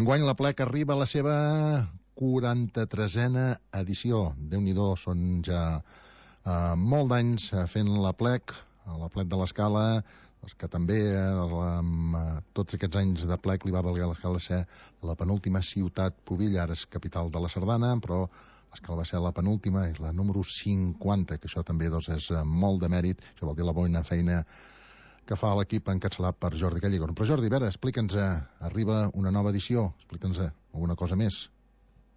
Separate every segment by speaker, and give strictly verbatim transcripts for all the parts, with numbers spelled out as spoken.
Speaker 1: Enguany la Plec arriba a la seva quaranta-tresena edició. Déu-n'hi-do, són ja eh, molt d'anys fent la Plec, la Plec de l'Escala, que també eh, amb eh, tots aquests anys de Plec li va valer a l'Escala ser la penúltima ciutat pubilla, ara és capital de la Sardana, però l'Escala va ser la penúltima, és la número cinquanta, que això també doncs, és molt de mèrit, això vol dir la bona feina que fa l'equip encapçalat per Jordi Callegon. Però Jordi, a veure, explica'ns, arriba una nova edició, explica'ns alguna cosa més.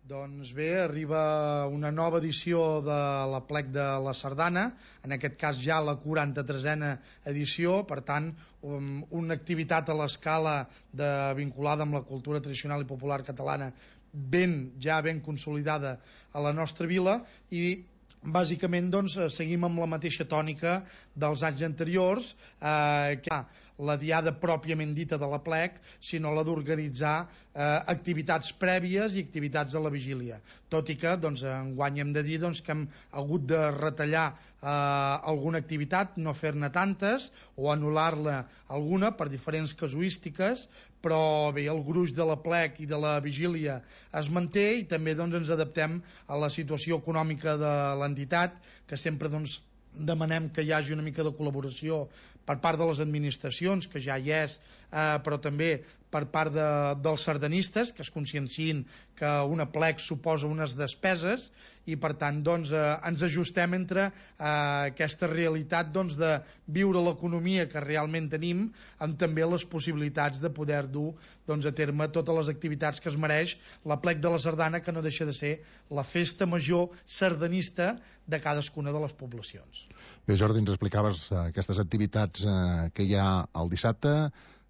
Speaker 2: Doncs bé, arriba una nova edició de la Plec de la Sardana, en aquest cas ja la quaranta-tresena edició, per tant, um, una activitat a l'escala de, vinculada amb la cultura tradicional i popular catalana ben, ja ben consolidada a la nostra vila, i bàsicament doncs, seguim amb la mateixa tònica dels anys anteriors, eh, que la diada pròpiament dita de la Plec, sinó la d'organitzar eh, activitats prèvies i activitats de la vigília. Tot i que doncs, enguany hem de dir doncs, que hem hagut de retallar eh, alguna activitat, no fer-ne tantes o anul·lar-la alguna per diferents casuístiques, però bé, el gruix de la Plec i de la vigília es manté i també doncs, ens adaptem a la situació econòmica de l'entitat, que sempre doncs, demanem que hi hagi una mica de col·laboració per part de les administracions, que ja hi és, eh, però també per part de, dels sardanistes, que es consciencien que una Plec suposa unes despeses i per tant doncs, eh, ens ajustem entre eh, aquesta realitat doncs, de viure l'economia que realment tenim amb també les possibilitats de poder dur doncs, a terme totes les activitats que es mereix la Plec de la Sardana, que no deixa de ser la festa major sardanista de cadascuna de les poblacions.
Speaker 1: Bé, Jordi, ens explicaves eh, aquestes activitats eh, que hi ha el dissabte.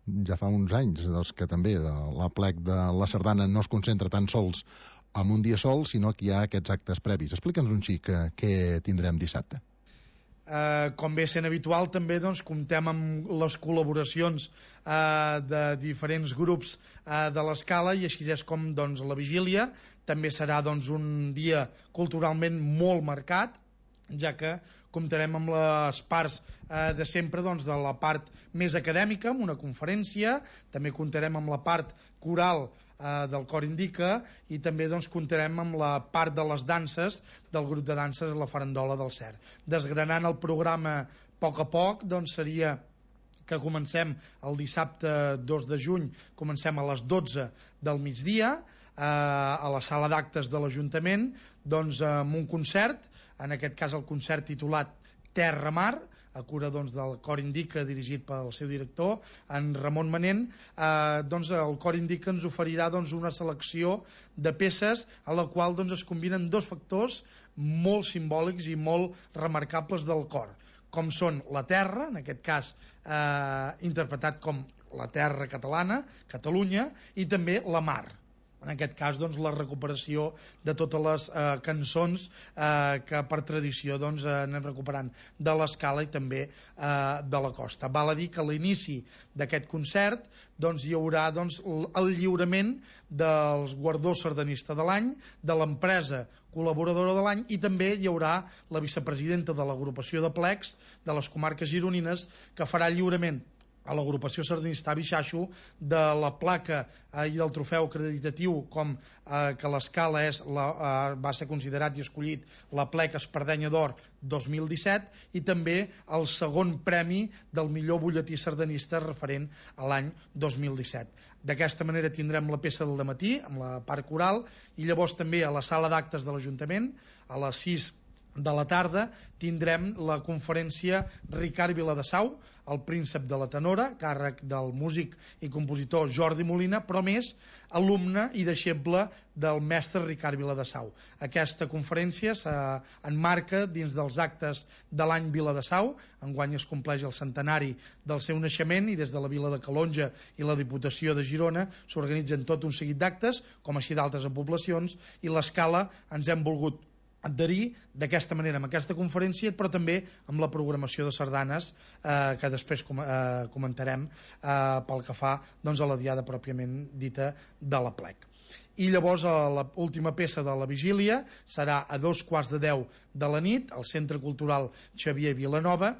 Speaker 1: Ja fa uns anys doncs, que també la Plec de la Sardana no es concentra tan sols en un dia sol, sinó que hi ha aquests actes previs. Explica'ns un xic eh, què tindrem dissabte.
Speaker 2: Eh, com bé sent habitual, també doncs, comptem amb les col·laboracions eh, de diferents grups eh, de l'escala, i així és com doncs, la vigília també serà doncs, un dia culturalment molt marcat, ja que comptarem amb les parts eh, de sempre doncs, de la part més acadèmica, amb una conferència, també comptarem amb la part coral eh, del Cor Indica, i també doncs, comptarem amb la part de les danses del grup de danses La Farandola del Cer. Desgranant el programa a poc a poc, doncs seria que comencem el dissabte dos de juny, comencem a les dotze del migdia eh, a la sala d'actes de l'Ajuntament, doncs amb un concert, en aquest cas el concert titulat Terra Mar, a cura doncs, del Cor Indica, dirigit pel seu director, en Ramon Manent. eh, doncs, el Cor Indica ens oferirà doncs, una selecció de peces a la qual doncs, es combinen dos factors molt simbòlics i molt remarcables del cor, com són la terra, en aquest cas eh, interpretat com la terra catalana, Catalunya, i també la mar, en aquest cas doncs, la recuperació de totes les eh, cançons eh, que per tradició doncs, eh, anem recuperant de l'escala i també eh, de la costa. Val a dir que a l'inici d'aquest concert doncs, hi haurà doncs, el lliurament dels guardó sardanista de l'any, de l'empresa col·laboradora de l'any, i també hi haurà la vicepresidenta de l'agrupació de plecs de les comarques gironines, que farà el lliurament a l'agrupació sardanista Bixaixo de la placa eh, i del trofeu acreditatiu, com eh, que l'escala és la, eh, va ser considerat i escollit la Plec Espardenya d'Or dos mil disset, i també el segon premi del millor butlletí sardanista referent a l'any dos mil disset. D'aquesta manera tindrem la peça del dematí amb la part coral, i llavors també a la sala d'actes de l'Ajuntament a les sis de la tarda tindrem la conferència Ricard Viladesau, el príncep de la tenora, càrrec del músic i compositor Jordi Molina, però més alumne i deixeble del mestre Ricard Viladesau. Aquesta conferència s'emmarca dins dels actes de l'any Viladesau. Enguany es compleix el centenari del seu naixement, i des de la vila de Calonja i la Diputació de Girona s'organitzen tot un seguit d'actes, com així d'altres poblacions, i l'escala ens hem volgut adherir d'aquesta manera amb aquesta conferència, però també amb la programació de sardanes eh, que després com, eh, comentarem eh, pel que fa doncs, a la diada pròpiament dita de la Plec. I llavors l'última peça de la vigília serà a dos quarts de deu de la nit al Centre Cultural Xavier Vilanova,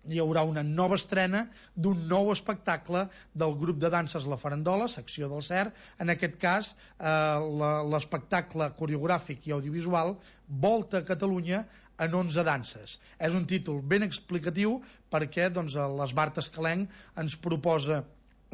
Speaker 2: hi haurà una nova estrena d'un nou espectacle del grup de danses La Farandola, secció del C E R. En aquest cas, eh, l'espectacle coreogràfic i audiovisual Volta a Catalunya en onze danses. És un títol ben explicatiu perquè doncs, l'Esbart Escalenc ens proposa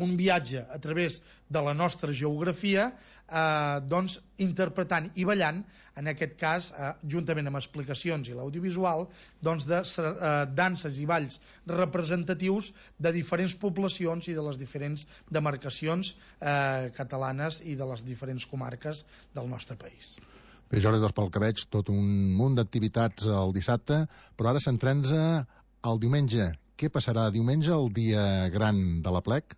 Speaker 2: un viatge a través de la nostra geografia, eh, doncs, interpretant i ballant, en aquest cas, eh, juntament amb explicacions i l'audiovisual, doncs, de eh, danses i balls representatius de diferents poblacions i de les diferents demarcacions eh, catalanes i de les diferents comarques del nostre país.
Speaker 1: Bé, Jordi, doncs pel que veig, tot un munt d'activitats el dissabte, però ara centrem-nos al diumenge. Què passarà diumenge, el dia gran de l'Aplec?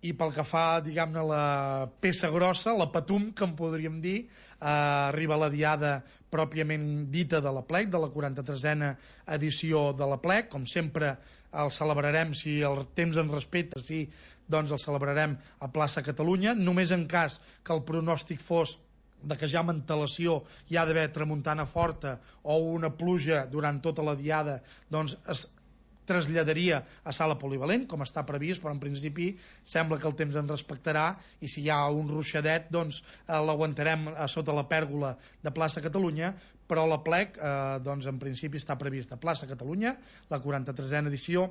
Speaker 2: I pel que fa, diguem-ne, la peça grossa, la patum, que en podríem dir, eh, arriba la diada pròpiament dita de l'Aplec, de la quaranta-tresena edició de l'Aplec. Com sempre, el celebrarem, si el temps ens respecta, sí, doncs el celebrarem a plaça Catalunya, només en cas que el pronòstic fos de que ja amb antelació hi ha d'haver tramuntana forta o una pluja durant tota la diada, doncs es traslladaria a sala polivalent, com està previst, però en principi sembla que el temps ens respectarà i si hi ha un ruixadet, doncs eh, l'aguantarem a sota la pèrgola de plaça Catalunya, però l'Aplec, eh, doncs en principi està previst a plaça Catalunya, la quaranta-tresena edició,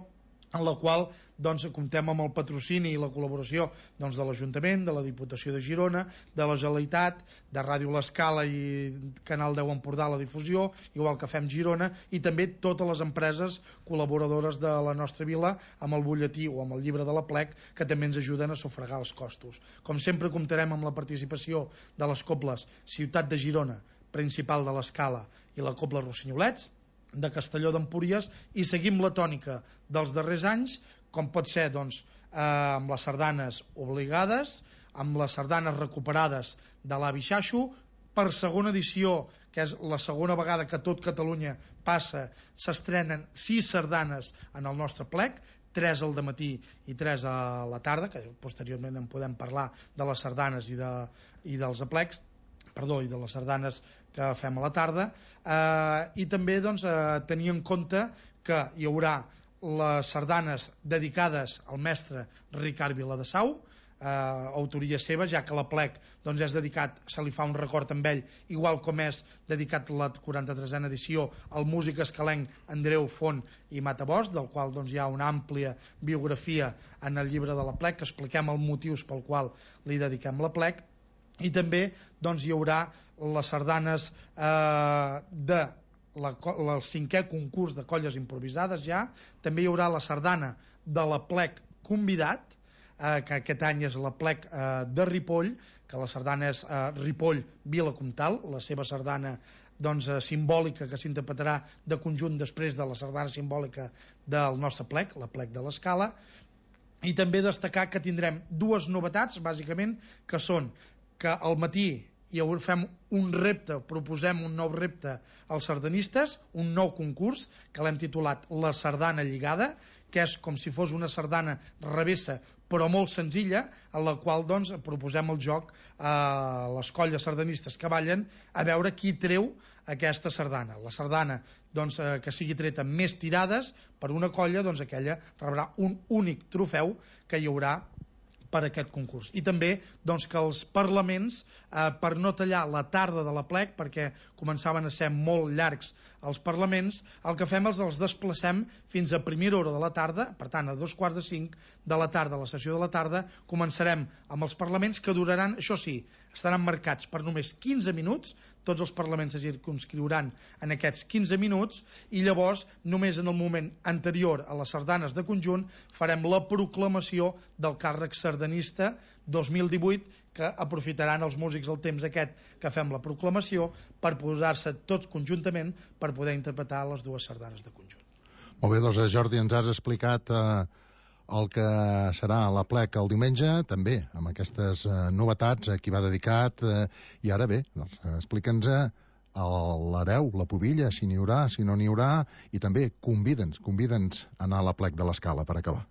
Speaker 2: en la qual doncs, comptem amb el patrocini i la col·laboració doncs, de l'Ajuntament, de la Diputació de Girona, de la Generalitat, de Ràdio L'Escala i Canal deu Empordà la difusió, igual que fem Girona, i també totes les empreses col·laboradores de la nostra vila amb el butlletí o amb el llibre de l'Aplec, que també ens ajuden a sufragar els costos. Com sempre comptarem amb la participació de les cobles Ciutat de Girona, Principal de l'Escala i la Cobla Rossinyolets, de Castelló d'Empúries, i seguim la tònica dels darrers anys, com pot ser doncs, eh, amb les sardanes obligades, amb les sardanes recuperades de l'Avi Xaxo, per segona edició, que és la segona vegada que tot Catalunya passa, s'estrenen sis sardanes en el nostre plec, tres al dematí i tres a la tarda, que posteriorment en podem parlar de les sardanes i, de, i dels aplecs, perdó, i de les sardanes que fem a la tarda, eh, i també doncs, eh, tenir en compte que hi haurà les sardanes dedicades al mestre Ricard Viladesau, eh, autoria seva, ja que l'Aplec doncs, és dedicat, se li fa un record amb ell, igual com és dedicat la quaranta-tresena edició al músic escalenc Andreu Font i Matabós, del qual doncs, hi ha una àmplia biografia en el llibre de l'Aplec, que expliquem els motius pel qual li dediquem l'Aplec. I també doncs, hi haurà les sardanes eh, de la, el cinquè concurs de colles improvisades ja, també hi haurà la sardana de l'Aplec convidat, eh, que aquest any és l'Aplec eh, de Ripoll, que la sardana és eh, Ripoll Vila Comtal, la seva sardana doncs, eh, simbòlica que s'interpretarà de conjunt després de la sardana simbòlica del nostre plec, l'Aplec de l'Escala. I també destacar que tindrem dues novetats, bàsicament, que són que al matí hi fem un repte, proposem un nou repte als sardanistes, un nou concurs que l'hem titulat La Sardana Lligada, que és com si fos una sardana revessa però molt senzilla, en la qual doncs, proposem el joc a les colles sardanistes que ballen a veure qui treu aquesta sardana. La sardana doncs, eh, que sigui treta amb més tirades per una colla, doncs aquella rebrà un únic trofeu que hi haurà per aquest concurs. I també doncs, que els parlaments, eh, per no tallar la tarda de l'Aplec, perquè començaven a ser molt llargs els parlaments, el que fem és els desplacem fins a primera hora de la tarda, per tant a dos quarts de cinc de la tarda, la sessió de la tarda, començarem amb els parlaments que duraran, això sí, estaran marcats per només quinze minuts, tots els parlaments es circumscriuran en aquests quinze minuts, i llavors només en el moment anterior a les sardanes de conjunt farem la proclamació del càrrec sardanista dos mil divuit, que aprofitaran els músics el temps aquest que fem la proclamació per posar-se tots conjuntament per poder interpretar les dues sardanes de conjunt.
Speaker 1: Molt bé, doncs Jordi, ens has explicat eh, el que serà l'Aplec el diumenge, també amb aquestes eh, novetats, a qui va dedicat, eh, i ara bé, doncs, explica'ns l'hereu, la pubilla, si n'hi haurà, si no n'hi haurà, i també convida'ns, convida'ns a anar a l'Aplec de l'Escala per acabar.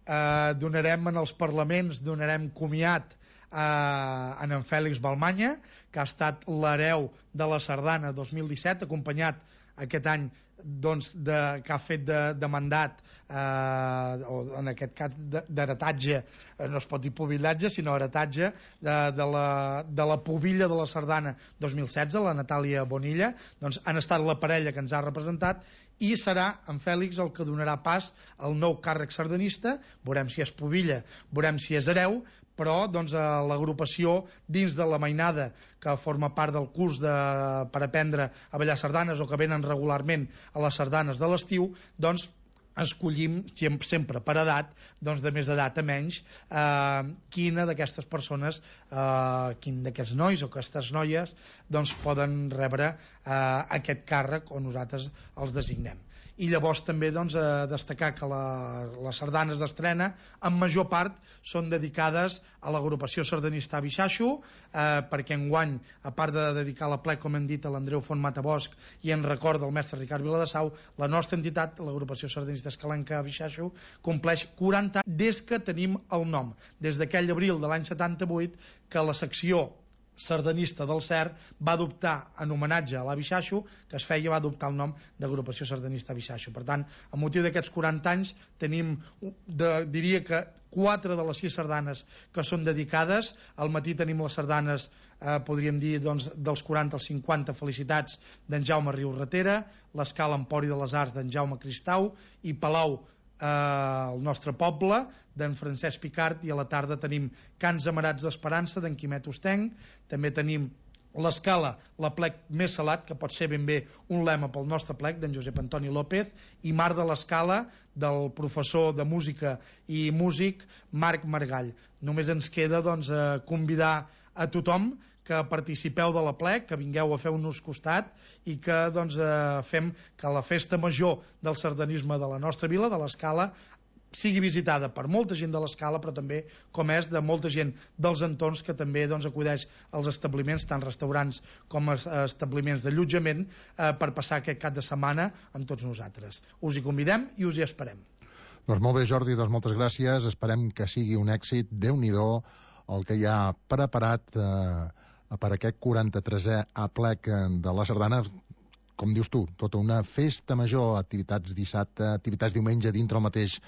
Speaker 2: Eh, donarem en els parlaments, donarem comiat eh, en en Fèlix Balmanya, que ha estat l'hereu de la sardana dos mil disset, acompanyat aquest any doncs, de, que ha fet de, de mandat, eh, o en aquest cas d'heretatge, eh, no es pot dir pubillatge sinó heretatge de, de, la, de la pubilla de la Sardana dos mil setze, la Natàlia Bonilla, doncs han estat la parella que ens ha representat, i serà en Fèlix el que donarà pas al nou càrrec sardanista. Veurem si és pubilla, veurem si és hereu, però doncs, l'agrupació dins de la mainada que forma part del curs de, per aprendre a ballar sardanes o que venen regularment a les sardanes de l'estiu, doncs escollim sempre per edat, doncs de més edat a menys, eh, quina d'aquestes persones, eh, quin d'aquests nois o aquestes noies doncs poden rebre eh, aquest càrrec o nosaltres els designem. I llavors també doncs, eh, destacar que la, les sardanes d'estrena en major part són dedicades a l'agrupació sardanista Abixaixo, eh, perquè enguany, a part de dedicar la plec, com hem dit, a l'Andreu Font Matabosc i en record del mestre Ricard Viladesau, la nostra entitat, l'agrupació sardanista Escalenca Abixaixo, compleix quaranta anys des que tenim el nom, des d'aquell abril de l'any setanta-vuit que la secció sardanista del C E R va adoptar en homenatge a l'Abixaixo, que es feia, va adoptar el nom d'agrupació sardanista Abixaixo. Per tant, a motiu d'aquests quaranta anys tenim, de, diria que quatre de les sis sardanes que són dedicades. Al matí tenim les sardanes, eh, podríem dir, doncs, dels quaranta als cinquanta, felicitats d'en Jaume Riu-Ratera, l'Escala Empori de les Arts d'en Jaume Cristau i Palau, eh, el nostre poble, d'en Francesc Picart, i a la tarda tenim Cants Amarats d'Esperança d'en Quimet Ostenc. També tenim l'Escala, la plec més salat, que pot ser ben bé un lema pel nostre plec, d'en Josep Antoni López, i Mar de l'Escala, del professor de música i músic Marc Margall. Només ens queda doncs, convidar a tothom que participeu de la plec, que vingueu a fer-nos costat i que doncs, fem que la festa major del sardanisme de la nostra vila, de l'Escala, sigui visitada per molta gent de l'Escala, però també, com és, de molta gent dels entorns que també doncs, acudeix als establiments, tant restaurants com establiments d'allotjament, eh, per passar aquest cap de setmana amb tots nosaltres. Us hi convidem i us hi esperem.
Speaker 1: Doncs molt bé, Jordi, doncs moltes gràcies. Esperem que sigui un èxit. Déu-n'hi-do el que hi ha preparat eh, per aquest quaranta-tresè aplec de la Sardana. Com dius tu, tota una festa major, activitats dissabte, activitats diumenge dintre el mateix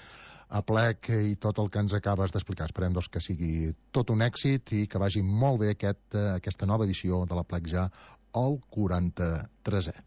Speaker 1: aplec i tot el que ens acabes d'explicar. Esperem doncs, que sigui tot un èxit i que vagi molt bé aquest, aquesta nova edició de l'aplec ja al quaranta-tresè.